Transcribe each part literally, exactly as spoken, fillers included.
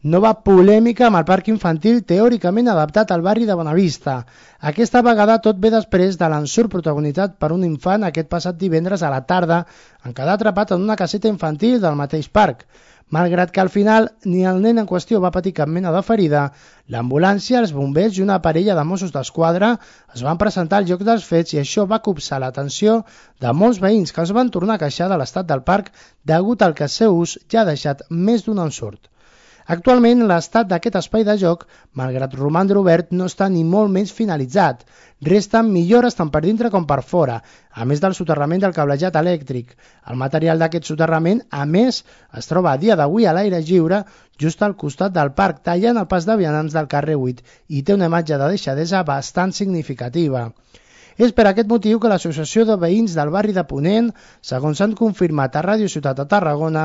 Nova polèmica amb el parc infantil teòricament adaptat al barri de Bonavista. Aquesta vegada tot ve després de l'ensurt protagonitzat per un infant aquest passat divendres a la tarda en quedar atrapat en una caseta infantil del mateix parc. Malgrat que al final ni el nen en qüestió va patir cap mena de ferida, l'ambulància, els bombers i una parella de Mossos d'Esquadra es van presentar al lloc dels fets i això va copsar l'atenció de molts veïns que es van tornar a queixar de l'estat del parc degut al que el seu ús ja ha deixat més d'un ensurt. Actualment, l'estat d'aquest espai de joc, malgrat romandre obert, no està ni molt menys finalitzat. Resten millores tant per dintre com per fora, a més del soterrament del cablejat elèctric. El material d'aquest soterrament, a més, es troba a dia d'avui a l'aire lliure, just al costat del parc, tallant el pas de vianants del carrer vuit, i té una imatge de deixadesa bastant significativa. És per aquest motiu que l'Associació de Veïns del barri de Ponent, segons s'han confirmat a Ràdio Ciutat de Tarragona,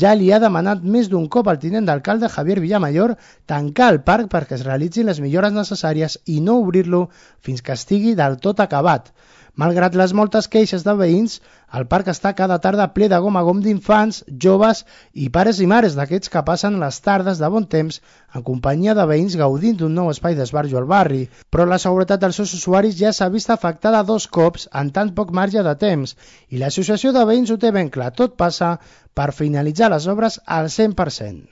ja li ha demanat més d'un cop al tinent d'alcalde Javier Villamayor tancar el parc perquè es realitzin les millores necessàries i no obrir-lo fins que estigui del tot acabat. Malgrat les moltes queixes de veïns, el parc està cada tarda ple de gom a gom d'infants, joves i pares i mares d'aquests que passen les tardes de bon temps en companyia de veïns gaudint d'un nou espai d'esbarjo al barri. Però la seguretat dels seus usuaris ja s'ha vist afectada dos cops en tan poc marge de temps i l'associació de veïns ho té ben clar, tot passa per finalitzar les obres al cent per cent.